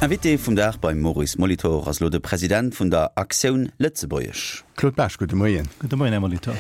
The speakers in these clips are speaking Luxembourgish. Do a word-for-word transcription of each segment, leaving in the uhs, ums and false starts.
Invité vum Dag beim Maurice Molitor ass elo de President vun der Actioun Lëtzebuergesch. Claude Baasch, gudde Moien. Gudde Moien, Här Molitor.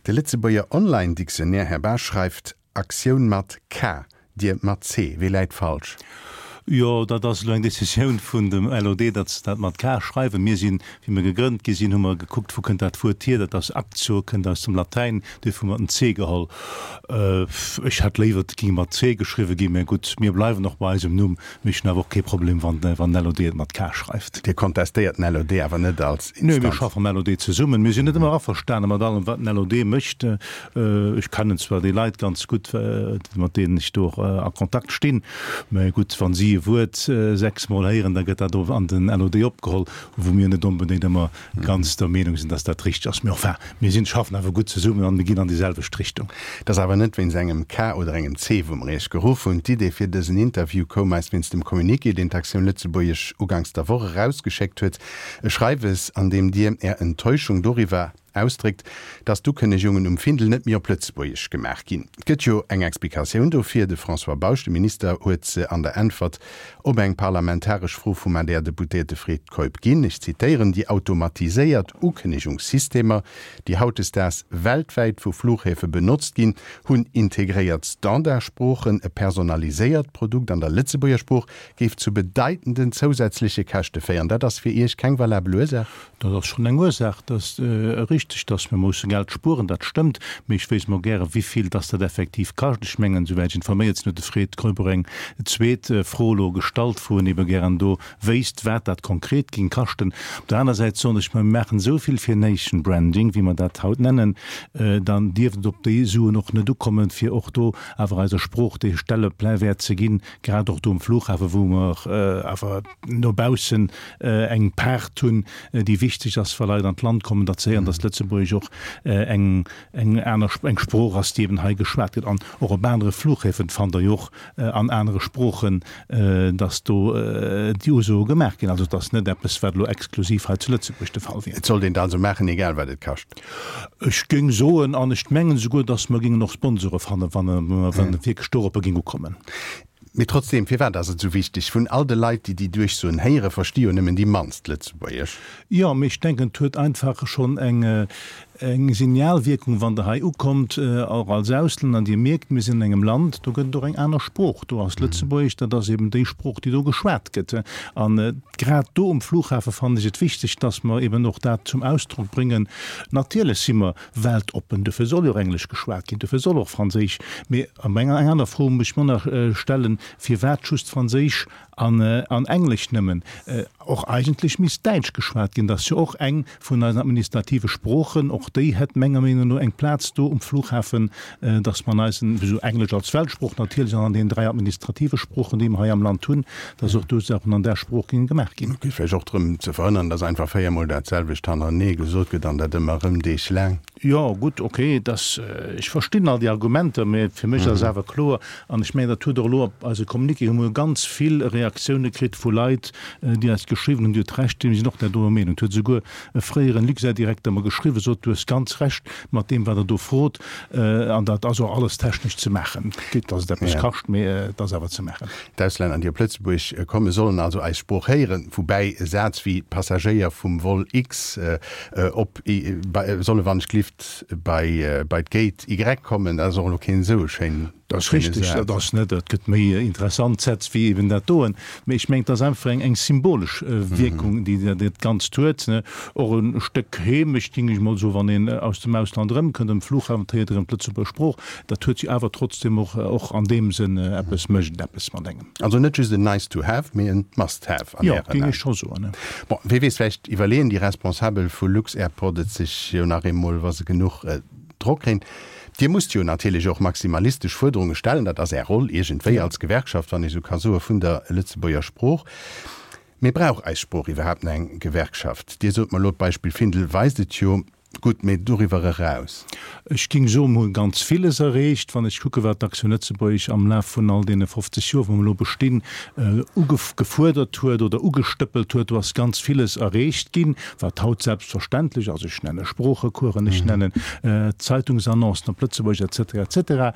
De Lëtzebuerger Online-Dictionnaire, Här Baasch, schreift Aktioun mat K, Dir mat C. Wee läit falsch? Jo, dat ass elo eng Decisioun vun dem LOD, datt se dat mat K schreiwen. Mir sinn, wéi mer gegrënnt gi sinn, hu mer gekuckt, wou kënnt dat Wuert hier. Dat ass Actio, kënnt aus dem Latäin, duerfir hu mer den C geholl. Ech hätt léiwer, et géing mat C geschriwwe ginn, mä gutt, mir bleiwen och bei eisem Numm. Mee ech hunn awer och kee Problem, wann den LOD et mat K schreift. Dir kontestéiert den LOD awer net als Instanz? Nee, mir schaffe mam LOD zesummen. Mir sinn net ëmmer averstane mat allem, wat den LOD mécht. Ech kennen zwar déi Leit ganz gutt, mat deenen ech do och a Kontakt stinn, mä gutt, wa si e Wuert sechs Mol héieren, da gëtt dat och an den LOD opgeholl, wou mir net onbedéngt ëmmer ganz der Meenung sinn, dass dat richteg ass. Mä enfin, mir sinn, schaffen awer gutt zesummen an mir ginn an déi selwecht Richtung. Et ass awer net wéinst engem K oder engem C, wou mer Iech geruff hunn. D'Idee fir dësen Interview koum eis wéinst dem Communiqué, deen d'Actioun Lëtzebuergesch uganks der Woch erausgeschéckt huet. E Schreiwes, an deem Dir Är Enttäuschung doriwwer ausdréckt, dass d'Ukënnegungen um Findel net méi op Lëtzebuergesch gemaach ginn. Et gëtt jo eng Explikatioun dofir, de François Bausch, de Minister, huet se an der Äntwert op eng parlamentaresch Fro vum A D R-Deputéierte Fred Keup ginn. Ech zitéieren, Déi automatiséiert Ukënnegungssystemer, déi hautdesdaags weltwäit vu Flughäfe benotzt ginn, hunn integréiert Standardsproochen. E personaliséiert Produkt an der Lëtzebuerger Sprooch géif zu bedeitenden zousätzleche Käschte féieren. Dat ass fir Iech keng valabel Ursaach? Dat ass schonn eng Ursaach. Dat ass richteg, dass mir musse Geld spueren, dat stëmmt. Mee ech wéisst mol gäre wivill dass dat effektiv kascht. Ech mengen, souwäit ech informéiert sinn, huet de Fred Keup och eng zweet Fro elo gestallt, wou en ebe gären do wéisst, wat dat konkret géing kaschten. Op der aner Säit soen ech, mer maachen esou vill fir Nation Branding, wéi mer dat haut nennen, dann dierft et op déi Suen och net ukommen, fir och do awer eiser Sprooch dee Stellepläwäert ze ginn, grad och do um Flughafen, wou mer awer no baussen eng Paart hunn, déi wichteg ass, wa Leit an d'Land kommen, datt se héieren, datt Lëtzebuergesch och eng eng aner eng Sprooch ass, déi eben hei geschwat gëtt. An och op anere Flughäfen fannt Der jo och an anere Sproochen, datt do déi Usoe gemaach ginn. Also et ass net eppes, wat elo exklusiv hei zu Lëtzebuerg de Fall wier. Et sollt een et also maachen, egal wat et kascht. Ech géing soen, an ech mengen esouguer, datt mer géingen och Sponsore fannen, wann et wierklech doropper géing ukommen. Mee trotzdeem, firwat ass et esou wichteg? Vun all de Leit, déi déi Duerchsoen héieren, versti jo nëmmen déi mannst Lëtzebuergesch. Jo, mee ech denken, et huet einfach schonn eng eng Signalwierkung, wann Der hei ukommt, och als Auslänner, an Dir mierkt, mir sinn an engem Land, do gëtt et och eng aner Sprooch. Do ass Lëtzebuergesch, dat ass eben déi Sprooch, déi do geschwat gëtt. An grad do um Flughafe fannen ech et wichteg, dass mer eben och dat zum Ausdrock bréngen. Natierlech si mer weltoppen, dofir soll jo och Englesch geschwat ginn, dofir soll och Franséisch. Mee eng aner Fro muss ech mer nach stellen, Firwat just Franséisch an Englesch nëmmen? Och eigentlech misst Däitsch geschwat ginn, dat ass jo och eng vun eisen administrative Sproochen. Och déi hätt menger Meenung no eng Plaz do um Flughafen, dass mer an eisen, wéi Englesch als Weltsprooch natierlech an an deenen dräi administrative Sproochen, déi mer hei am Land hunn, dass och do Saachen an där Sprooch géinge gemaach ginn. Et geet vläicht och drëm ze verhënnern, dass einfach véiermol dat selwecht hannerenee gesot gëtt an dat ëmmer erëm deeglaang. Jo, gutt, okay, dass, ech verstinn all déi Argumenter, mä fir mech ass awer kloer, an ech mengen, dat huet och elo op eise Communiqué hu mer jo ganz vill Reaktioune kritt vu Leit, déi eis geschriwwen hunn, Dir hutt Recht, mir sinn och där doer Meenung. Et huet esouguer e fréieren Luxair-Direkter mer geschriwwen, sot, Du hues ganz Recht mat deem, wat Der do frot, an dat ass och alles technesch ze maachen. Quitte dass et eppes kascht, mä et ass awer ze maachen. D'Auslänner, déi op Lëtzebuerg kommen, sollen also eis Sprooch héieren, woubäi e Saz wéi Passagéier vum Vol X op solle wann ech glift bei bei d'Gate Y kommen, dat ass och elo keen esou e schéin Dat ass richteg, dat ass net, et gëtt méi interessant Sätz wéi eben dat doen, mee ech mengen, et ass einfach eng eng symbolesch Wierkung, déi dat Ganzt huet. Och e Stéck Heemecht, géing ech mol soen, wann een aus dem Ausland erëmkënnt, um Flughafen, et héiert erëm d'Lëtzebuerger Sprooch, dat huet jo awer trotzdem och och an deem Sënn eppes, mécht et eppes mat engem. Also net just en nice to have, mee en must have an Jo, Ären géing Aen. ech scho soen. Bon, wee weess, vläicht iwwerleeën déi Responsabel vu lux-Airport et sech jo nach eemol, wa se genuch Drock kréien. Dir musst jo natierlech och maximalistesch Fuerderunge stellen, dat ass Är Roll iergendwéi als Gewerkschaft, wann ech esou ka soe, vun der Lëtzebuerger Sprooch. Mee brauch eis Sprooch iwwerhaapt nach eng Gewerkschaft? Dir sot mer elo, d'Beispill Findel weist et jo. Gutt, mee doriwwer eraus? Ech géing soen, mir hu ganz villes erreecht. Wann ech kucke wat d'Action Lëtzebuerg am Laf vun all deene fofzeg Joer, wou mer elo bestinn, ugefuerdert huet oder ugestëppelt huet, do ass ganz villes erreecht ginn, wat haut selbstverständlech ass. Ech nenne Sproochecoursen, ech nennen Zeitungsannoncen op Lëtzebuergesch et cetera et cetera,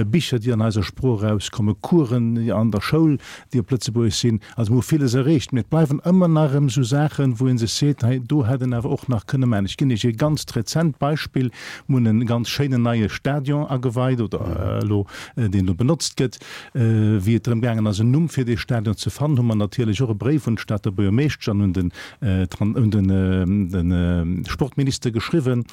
Bicher, déi an eiser Sprooch erauskommen, Coursen an der Schoul, déi op Lëtzebuergesch sinn. Also mir hu villes erreecht, mee et bleiwen ëmmer nach erëm esou Saachen, wou ee sech seet, hei do hätt een awer och nach kënne maachen. Ech ginn Iech e ganzt rezent Beispill, Mir hunn e ganz schéinen neie Stadion ageweit, oder elo, deen elo benotzt gëtt. Wéi et drëm gaangen ass, en Numm fir dee Stadion ze fannen, hu mer natierlech och e Bréif un d'Stater Buergermeeschtesch an un den, un de Sportminister geschriwwen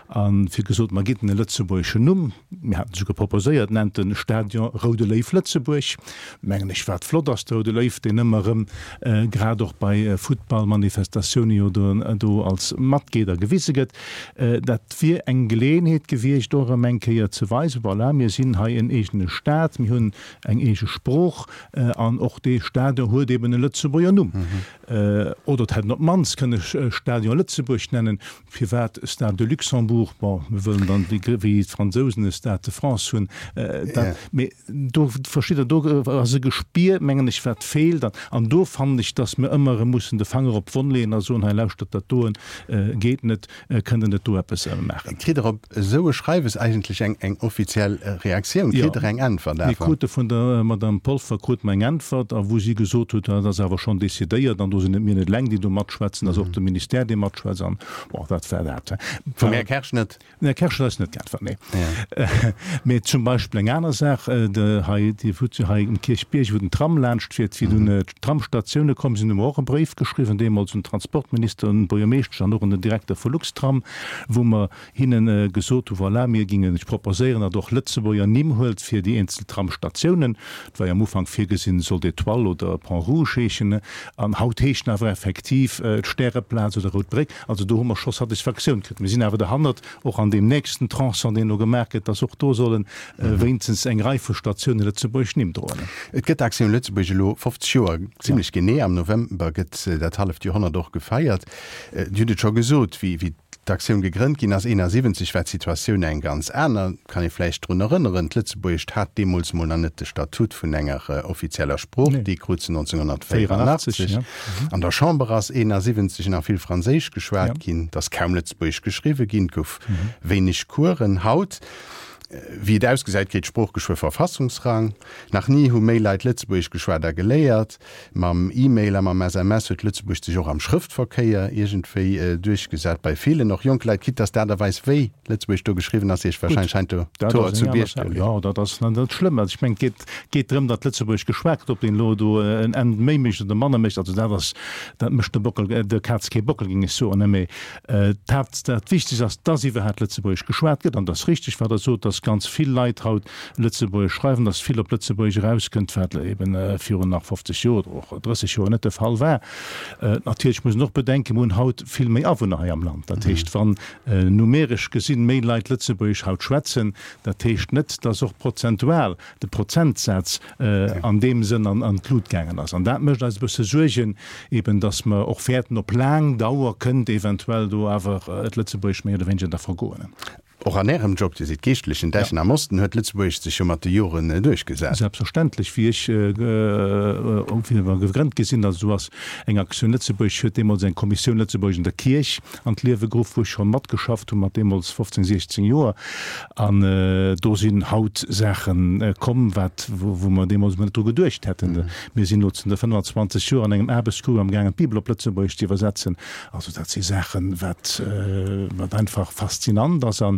a fir gesot, mer ginn en e lëtzebuergeschen Numm. Mir haten esouguer proposéiert, Nennt de Stadion Roude Léiw Lëtzebuerg. Mengen ech, wat flott ass, de Roude Léiw, deen ëmmer erëm, grad och bei Futtballmanifestatioune jo do als Matgeeder gewise gëtt. Dat wier eng Geleeënheet gewiescht, och erëm eng Kéier ze weisen, Voilà, mir sinn hei en eegene Staat, mir hunn eng eege Sprooch an och dee Stadion huet eben e Lëtzebuerger Numm. Oder et hätt een op d'mannst kënne Stadion Lëtzebuerg nennen. Firwat Stade de Luxembourg? Bon, mir wëllen dann wéi d'Fransousen e Stade de France hunn. Dat, mee do, versteet Der, do ass e Gespier, mengen ech, wat feelt. An do fannen ech, datt mir ëmmer erëm mussen de Fanger op d'Wonn leeën a soen, Hei lauschtert, dat doen geet net, kënnt Der net do eppes maachen? Kritt Der op esou e Schreiwes eigentlech eng, eng offiziell Reaktioun? Kritt Der eng Äntwert awer? Mir krute vun der Madame Polfer krute mer eng Äntwert, a wou si gesot huet, dat ass awer schonn decidéiert an do sinn net mir net eleng, déi do matschwätzen, dat ass och de Ministère, dee matschwätzt an bon, dat war dat. Vum Här Kersch net? Den Här Kersch huet eis net geäntwert, nee. Mee zum Beispill eng aner Saach, de hei, Dir hutt jo hei um Kierchbierg, wou den Tram laanscht fiert, wéi dunn d'Tramstatioune komm sinn, hu mer och e Bréif geschriwwen, deemools un den Transportminister, un d'Buergermeeschtesch an och un den Direkter vu Luxtram, wou mer hinne gesot hu, voilà, mir gingen lech proposéieren, datt Der och Lëtzebuerger Nimm huelt fir déi eenzel Tramstatiounen. Et war jo am Ufank virgesinn, et sollt Étoile oder Pont Rouge heeschen, an haut heeschen awer effektiv d'Stäreplaz oder Rout Bréck. Also do hu mer scho Satisfaktioun kritt. Mir sinn awer derhannert, och an deem nächsten Tronçon, deen elo gemaach gëtt, datt och do solle wéinstens eng Rei vu Statioune lëtzebuergesch Nimm droen. Et gëtt Aktioun Lëtzebuerg elo fofzeg Joer, zimlech genee am November gëtt dat halleft Joerhonnert och gefeiert. Dir hutt et scho gesot, wéi d'Aktioun gegrënnt ginn ass, eenasiwwenzeg war d'Situatioun eng ganz aner. Kann ee vläicht drun erënneren, d'Lëtzebuergescht hat deemools mol nach net de Statut vun enger offizieller Sprooch, dee krut se nonzénghonnertvéierunachtzeg. An der Chamber ass eenasiwwenzeg nach vill Franséisch geschwat ginn, et ass kaum Lëtzebuergesch geschriwwe ginn, et gouf wéineg Coursen. Haut, wéi et ausgesäit, kritt d'Sprooch geschwë Verfassungsrang. Nach ni hu méi Leit Lëtzebuergesch geschwat a geléiert. Mam E-Mail a mam S M S huet Lëtzebuergesch sech och am Schrëftverkéier iergendwéi duerchgesat. Bei villen, och jonke Leit, quitte dass d'Aart a Weis, wéi Lëtzebuergesch do geschriwwen ass, Iech warscheinlech heiansdo d'Hoer zu Bierg geluecht. Jo, dat ass net schlëmm. Also ech mengen, et geet, geet drëm, datt Lëtzebuergesch geschwat gëtt. Ob een elo do en N méi mécht oder manner mécht, also dat ass, dat mécht de Bockel, der Kaz kee Bockel, géing ech soen. Mee d'Haapt, dat Wichtegst ass, dass iwwerhaapt Lëtzebuergesch geschwat gëtt. An et ass richteg, wat Der sot, dass ganz vill Leit haut Lëtzebuergesch schreiwen, dass vill op Lëtzebuergesch erauskënnt, wat eben virun nach fofzeg Joer oder och drësseg Joer net de Fall war. Natierlech muss een och bedenken, mir hunn haut vill méi Awunner hei am Land. Dat heescht, wann numeresch gesinn méi Leit Lëtzebuergesch haut schwätzen, dat heescht net, dass och prozentual de Prozentsaz an deem Sënn an d'Lut gaangen ass. An dat mécht eis e bësse Suergen, eben dass mer och wäerten op laang Dauer kënnt eventuell do awer d'Lëtzebuergesch méi oder wéineger da vergoen. Och an Ärem Job, Dir sidd Geeschtlechen Dechen am Osten, huet Lëtzebuergesch sech jo mat de Joren duerchgesat. Selbstverständlech, wéi ech wéi mer gegrënnt gi sinn, also do ass eng Aktioun Lëtzebuerg, huet deemools eng Kommissioun Lëtzebuergesch an der Kierch an d'Liewe geruff, wou ech scho matgeschafft hu mat deemools fofzéng, siechzéng Joer. An do sinn haut Saache komm, wat, wou mer deemools emol net dru geduecht hätten. Mir sinn elo zënter fënnfanzwanzeg Joer an engem Aarbechtsgrupp amgaangen, d'Bibel op Lëtzebuergesch ze iwwersetzen. Also dat si Saachen, wat, wat einfach faszinant ass a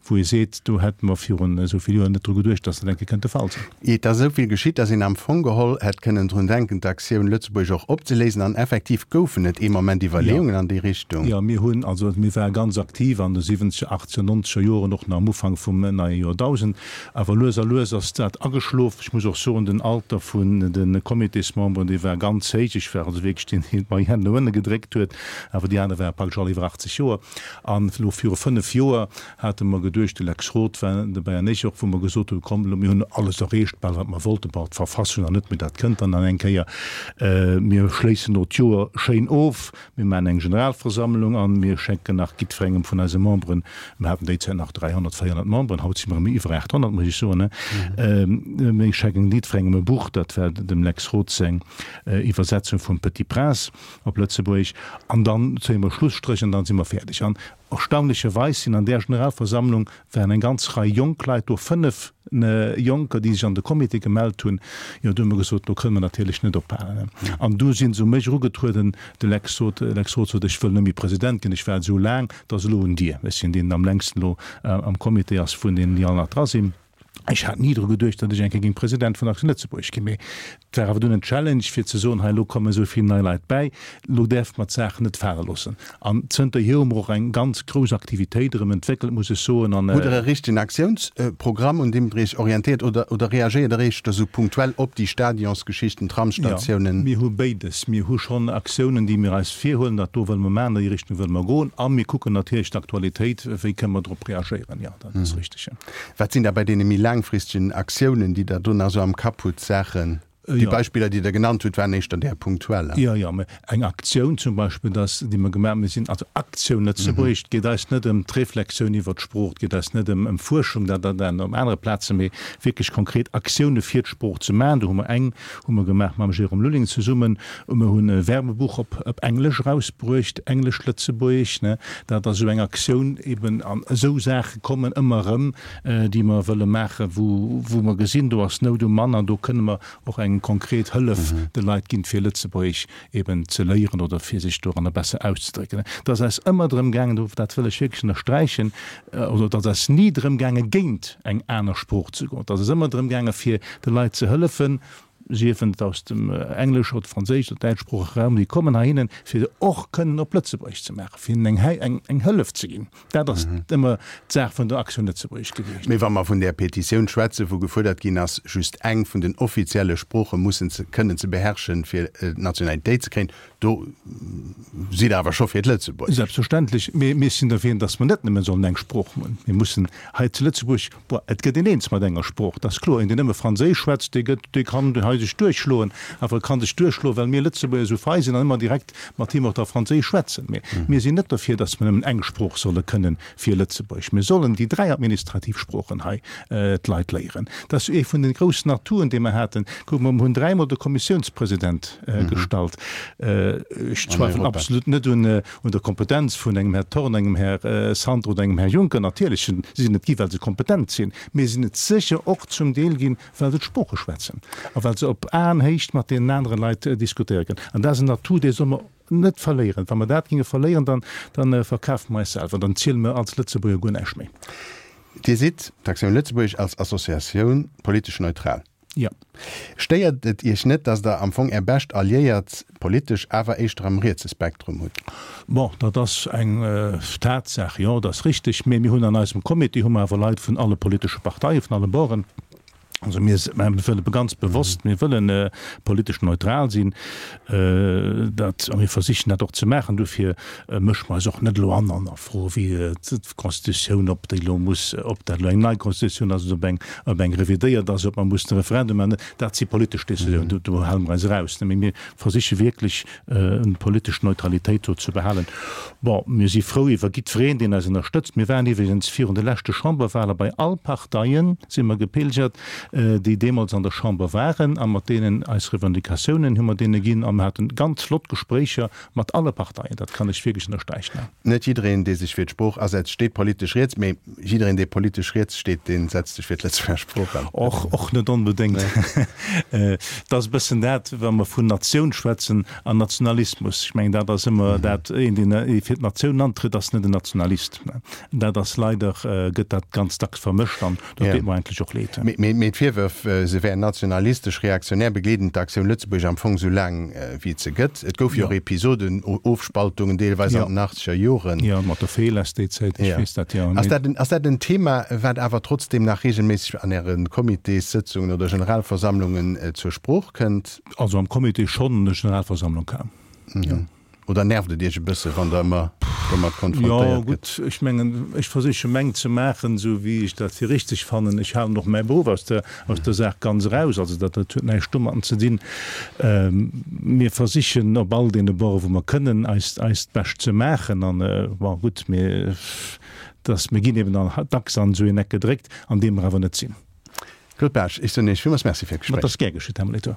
wou ee seet, do hätte mer virun esou vill Joer net dru geduecht, dass dat eng Kéier kënnt de Fall sinn. Et ass esou vill geschitt, dass een am Fong geholl hätt kënnen drun denken, d'Aktioun Lëtzebuerg och opzeléisen. An effektiv goufen et ee Moment Iwwerleeungen an déi Richtung. Jo, mir hunn, also mir ware ganz aktiv an de siwwenzeger, achtzeger, nonzeger Joren, och nach am Ufank vum neie Joerdausend. Awer lues a lues ass dat ageschlof. Ech muss och soen, den Alter vun de Comitésmemberen, dee war ganz héich. Ech war also wierklech deen, deen d'Moyenne no ënne gedréckt huet. Awer déi aner ware praktesch all iwwer achtzeg Joer. An elo viru fënnef Joer hate mer geduecht, de Lex Roth war dobäi an ech och, wou mer gesot hunn, komm elo, mir hunn alles erreecht bal wat mer wollten, bon d'Verfassung nach net, mee dat kënnt dann nach eng Kéier, mir schléissen elo d'Joer schéin of, mir maachen eng Generalversammlung an mir schenken nach jiddwerengem vun eise Memberen, mir haten déi Zäit nach dräihonnert, véierhonnert Memberen, haut si mer erëm iwwer aathonnert, muss ech soen, mir schenken jiddwerengem e Buch, dat war dem Lex Roth seng Iwwersetzung vum Petit Prince op Lëtzebuergesch, an dann zéie mer Schlusstréch an dann si mer fäerdeg. An erstaunlecherweis sinn an där Generalversammlung waren eng ganz Rei jonk Leit do, fënnef Jonker, déi sech an de Comité gemellt hunn. Jo, du hu mer gesot, do kënne mer natierlech net ophalen. An du si se u mech erugetrueden, de Lex sot, Lex Roth sot, ech wëll net méi President ginn, ech war et esou laang, et ass elo un dir. Ech sinn deen, deen am längsten elo am Comité ass vun deenen, déi all nach dra sinn. Ech hat ni dru geduecht, datt ech eng Kéier géing President vun Aktioun Lëtzebuerg ginn, mee et war awer dunn en Challenge fir ze soen, hei elo kommen esou vill nei Leit bäi, elo däerfe mer d'Saach net fale loossen. An zënterhier hu mer och eng ganz grouss Aktivitéit erëm entwéckelt, muss ech soen. An. Hutt Der e richtegen Aktiounsprogramm, un deem Der Iech orientéiert oder, oder reagéiert Der éischter esou punktuell op déi Stadionsgeschichten, Tramsstatiounen? Jo, mir hu béides. Mir hu schonn Aktiounen, déi mir eis virhuelen, dat do wëlle mer maachen, an déi Richtung wëlle mer goen. A mir kucken natierlech d'Aktualitéit, wéi kënne mer drop reagéieren. Jo, dat ass richteg. Wat sinn da bei deene méi laangfristegen Aktiounen, déi Der do nach esou am Kapp hutt, Saachen? Déi Beispiller, déi Der genannt hutt, waren éischter där punktueller. Jo, jo, mä eng Aktioun zum Beispill, dass, déi mer gemaach hunn, mir sinn also Aktioun Lëtzebuergesch, et geet eis net ëm d'Reflexioun iwwert d'Sprooch, et geet eis net ëm ëm Fuerschung, dat dat an op anere Plazen, mee wierklech konkret Aktioune fir d'Sprooch ze maachen. Do hu mer eng hu mer gemaach mam Jérôme Lulling zesummen, mir hunn e Werbebuch op op Englesch erausbruecht, Englesch-Lëtzebuergesch, ne, dat ass esou eng Aktioun eben. An esou Saache kommen ëmmer erëm, déi mer wëlle maachen, wou wou mer gesinn, do ass Nout um Mann an do kënne mer och eng konkret Hëllef de Leit ginn, fir Lëtzebuergesch eben ze léieren oder fir sech doranner besser auszedrécken. Et ass eis ëmmer drëm gaangen, dat wëll ech wierklech ënnersträichen, oder et ass eis ni drëm gaangen, géint eng aner Sprooch ze goen. Et ass eis ëmmer drëm gaangen, fir de Leit ze hëllefen, sief et aus dem Englesch oder Franséisch oder däitschsproochege Raum, déi kommen heihinnen, fir se och kënnen op Lëtzebuergesch ze maachen, fir hinnen eng, eng Hëllef ze ginn. Dat ass ëmmer d'Saach vun der Aktioun Lëtzebuergesch gewiescht. Mee wa mer vun där Petitioun schwätzen, wou gefuerdert ginn ass, just eng vun den offizielle Sprooche mussen ze kënnen ze beherrschen, fir d'Nationalitéit ze kréien, do sidd Der awer scho fir d'Lëtzebuergescht. Selbstverständlech. Mee mir sinn derfir, datt mer net nëmme sollen eng Sprooch hunn. Mir mussen hei zu Lëtzebuerg, bon, et gëtt een eens mat enger Sprooch, dat ass kloer. Een, deen nëmme Franséisch schwätzt, dee gëtt, dee kann hei sech duerchschloen. Awer e kann sech duerchschloen, well mir Lëtzebuerger esou fei sinn an ëmmer direkt mat him och da Franséisch schwätzen. Mee mir sinn net derfir, datt mer nëmmen eng Sprooch solle kënnen fir Lëtzebuerg. Mir sollen déi dräi administrativ Sproochen hei d'Leit léieren. Dat ass ee vun de groussen Atouen, déi mer haten. Kuck mol, mer hunn dräimol de Kommissiounspresident gestallt. Ech zweifelen absolut net un der Kompetenz vun engem Här Thorn, engem Här Santer oder engem Här Juncker. Natierlech si se et gi well se kompetent sinn, mee se sinn et sécher och zum Deel ginn, well se d'Sprooche schwätzen a well se op Aenhéicht mat deenen anere Leit diskutéiere kënnen. An dat ass en Atout, dee solle mer net verléieren. Wa mer dat géinge verléieren, dann, dann verkafe mer eis selwer, dann ziele mer als Lëtzebuerger guer näischt méi. Dir sidd, d'Aktioun Lëtzebuerg als Associatioun, politesch neutral. Jo. Stéiert et Iech net, datt Der am Fong Är bescht Alliéiert politesch awer éischter am rietse Spektrum hutt? Bon, dat ass eng Tatsaach, jo, dat ass richteg. Mee mir hunn an eisem Comité hu mer awer Leit vun alle politesche Parteien, vun alle Borden. Also mir wëlle ganz bewosst, mir wëllen politesch neutral sinn, dat, a mir versichen dat och ze maachen. Dofir mësche mer eis och net elo an an a Froe wéi d'Constitutioun, ob déi elo muss, ob dat elo eng nei Constitutioun ass oder ob eng, ob eng revidéiert ass, ob mer mussen e Referendum maachen. Dat si politesch Décisionen, do, do hale mer eis eraus. Mee mir versiche wierklech eng politesch Neutralitéit do ze behalen. Bon, mir si frou iwwer jiddwereen, deen eis ënnerstëtzt. Mir waren iwwregens virun de leschte Chamberwahle bei all Parteien si mer gepilgert, déi deemools an der Chamber waren, a mat deenen eis Revendicatiounen hu mer deene ginn a mer hate ganz flott Gespréicher mat alle Parteien. Dat kann ech wierklech ënnersträichen. Net jiddereen, dee sech fir d'Sprooch asetzt, steet politesch riets, mee jiddereen, dee politesch riets steet, dee setzt sech fir d'Lëtzebuerger Sprooch an. Och, och net onbedéngt. Et ass e bëssen dat, wa mer vun Natioun schwätzen an Nationalismus. Ech mengen, dat ass ëmmer dat, een, deen fir d'Natioun antrëtt, ass net en Nationalist. Dat ass leider, gëtt dat ganz dacks vermëscht an dat deet mer eigentlech och leed. Mee d'Virwërf, se wär nationalistesch reaktionär, begleeden d'Aktioun Lëtzebuerg am Fong esou laang wéi et se gëtt. Et gouf jo och Episoden, Ofspaltungen deelweis an den achtzeger Joren. Jo, mat der Felas déi Zäit, ech weess dat, jo. Ass dat en, ass dat en Thema, wat awer trotzdeem nach reegelméisseg an Äre Comitéssëtzungen oder Generalversammlungen zur Sprooch kënnt? Also am Comité schonn, an der Generalversammlung kaum, jo. Oder nervt et Iech e bësse wann Der ëmmer. domat konfrontéiert gëtt. Jo, gutt, ech mengen, ech versiche meng ze maachen, esou wéi ech dat fir richteg fannen. Ech halen och mäi Beruff aus der, aus der Saach ganz eraus. Also dat, dat huet näischt domatten ze dinn. Mir versichen op all deene Borde wou mer kënnen, eist, eist Bescht ze maachen. An, bon, gutt, mir, dass, mir ginn eben dann dacks an esou een Eck gedréckt, an deem mer awer net sinn. Claude Baasch, ech soen Iech villmools Merci fir d'Gespréich. Ma et ass gär geschitt, Här Molitor.